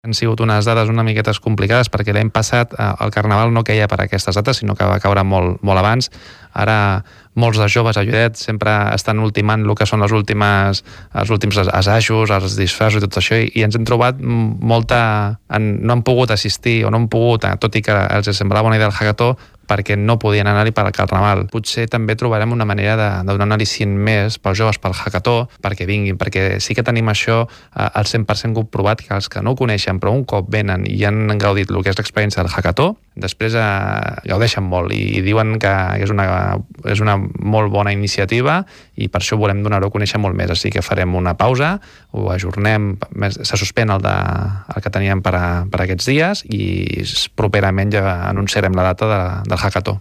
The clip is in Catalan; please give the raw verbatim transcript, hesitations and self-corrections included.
Han sigut unes dades una miqueta complicades perquè l'any passat eh, el Carnaval no queia per aquestes dates, sinó que va caure molt, molt abans. Ara molts de joves a Lloret sempre estan ultimant el que són les últimes, els últims assajos, els disfressos i tot això, i ens hem trobat molta... En, no han pogut assistir o no han pogut, tot i que els semblava bona idea el hackathó, perquè no podien anar-hi per al Carnaval. Potser també trobarem una manera de, de donar un al·licient més pels joves pel hackathó perquè vinguin, perquè sí que tenim això eh, al cent per cent comprovat, que els que no ho coneixen però un cop venen i han gaudit el que és l'experiència del hackathó, després eh, gaudeixen molt i, i diuen que és una, és una molt bona iniciativa i per això volem donar-ho a conèixer molt més. Així que farem una pausa, ho ajornem, se suspèn el, de, el que teníem per, a, per aquests dies i properament ja anunciarem la data de, del hackathó.